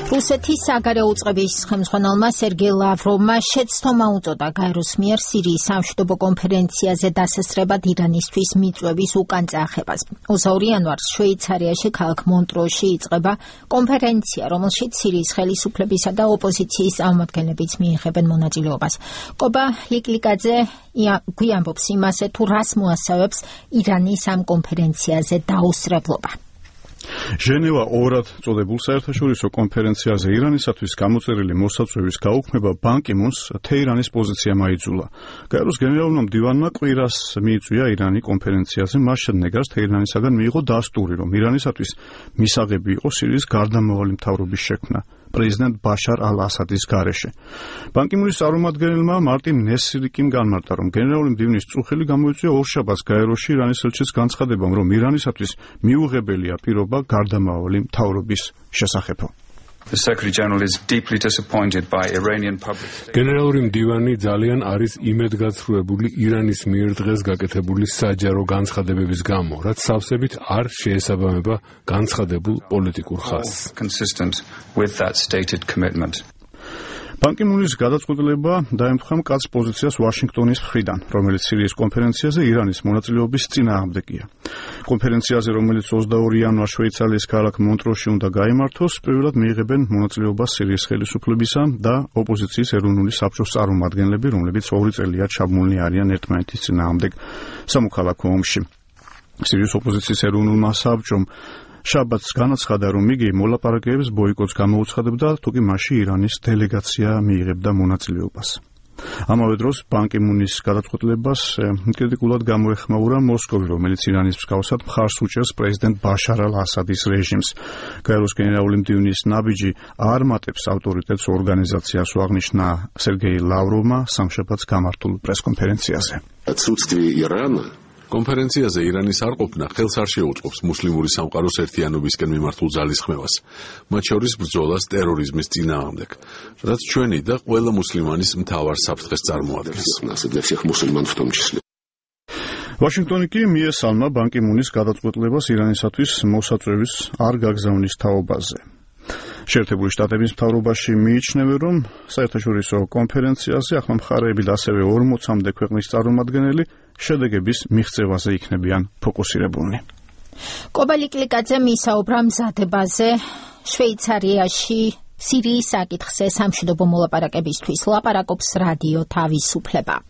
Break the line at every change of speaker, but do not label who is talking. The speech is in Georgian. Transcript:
რუსეთის საგარეო უწყების ხელმძღვანელმა სერგეი ლავროვმა შეცდომა უწოდა გაეროს მიერ სირიის სამშვიდობო კონფერენციაზე დასასწრებად ირანისთვის მიწვევის უკან წახებას. 22 იანვარს შვეიცარიაში ქალაქ მონტროში იწყება კონფერენცია, რომელშიც სირიის ხელისუფლებისა და ოპოზიციის წარმომადგენლებიც მიიღებენ მონაწილეობას. კობა ლიკლიკაძე გვიამბობს იმაზე, თუ რას მოასწავებს ირანის ამ კონფერენციაზე დაუსწრებლობა.
ჟენევა ორად წოდებულ საერთაშორისო კონფერენციაზე ირანისათვის გამოწერილი მოსაწვევის გაუქმება ბან კი მუნს თეირანის პოზიცია მაიძულა. გაეროს გენერალურმა მდივანმა კვირას მიიწვია ირანი კონფერენციაზე, მას შემდეგაც თეირანისაგან მიიღო დასტური, რომ ირანისათვის მისაღები იყო სირიის გარდამავალი მთავრობის შექმნა პრეზიდენტ ბაშარ ალ-ასადის გარეშე. ბან კი მუნის წარმომადგენელმა მარტინ ნესრიკიმ განმარტა, რომ გენერალური მდივნის წუხელი გამოიწვია ორშაბათს გაეროში ირანის ელჩის განცხადებამ, რომ ირანისათვის მიუღებელია პირობა გარდამავალი მთავრობის შესახებ.
გენერალური მდივანი ძალიან არის იმედგაცრუებული ირანის მიერ დღეს გაკეთებული საჯარო განცხადებების გამო, რაც სავსებით არ შეესაბამება განცხადებულ პოლიტიკურ ხაზს.
ბან კი მუნის გადაწყვეტილება დაემთხვა მკაცრ პოზიციას ვაშინგტონის მხრიდან, რომელიც სირიის კონფერენციაზე ირანის მონაწილეობის წინააღმდეგია. კონფერენციაზე, რომელიც 22 იანვარს შვეიცარიის ქალაქ მონტროში უნდა გაიმართოს, პირველად მიიღებენ მონაწილეობას სირიის ხელისუფლებისა და ოპოზიციის ეროვნული საბჭოს წარმომადგენლები, რომლებიც 2 წელია ჩაბმულნი არიან ერთმანეთის წინააღმდეგ სამოქალაქო ომში. სირიის ოპოზიციის ეროვნულმა საბჭომ შაბათს განაცხადა, რომ იგი მოლაპარაკებების ბოიკოტს გამოუცხადებდა, თუკი მასში ირანის დელეგაცია მიიღებდა მონაწილეობას. ამავე დროს ბან კი მუნის გადაწყვეტილებას კრიტიკულად გამოეხმაურა მოსკოვი, რომელიც ირანის მსგავსად მხარს უჭერს პრეზიდენტ ბაშარ ალ-ასადის რეჟიმს. გაეროს გენერალური მდივნის ნაბიჯი არ მატებს ავტორიტეტს ორგანიზაციას, აღნიშნა სერგეი ლავროვმა სამშაბათს გამართულ პრესკონფერენციაზე.
კონფერენციაზე ირანის არ ყოფნა ხელს არ შეუწყობს მუსლიმური სამყაროს ერთიანობისკენ მიმართულ ძალისხმევას, მათ შორის ბრძოლას ტერორიზმის წინააღმდეგ, რაც ჩვენი და ყველა მუსლიმანის მთავარ საფრთხეს წარმოადგენს.
ვაშინგტონი კი მიესალმა ბან კი მუნის გადაწყვეტილებას ირანისათვის მოსაწვევის არ გაგზავნის თაობაზე. შეერთებული შტატების მთავრობაში მიიჩნევენ, რომ საერთაშორისო კონფერენციაზე ახლა მხარეები და ასევე 40-მდე ქვეყნის წარმომადგენელი შედეგების მიღწევაზე იქნებიან ფოკუსირებულნი.
კობა ლიკლიკაძემ ისაუბრა მზადებაზე შვეიცარიაში სირიის საკითხზე სამშვიდობო მოლაპარაკებისთვის. ლაპარაკობს რადიო თავისუფლება.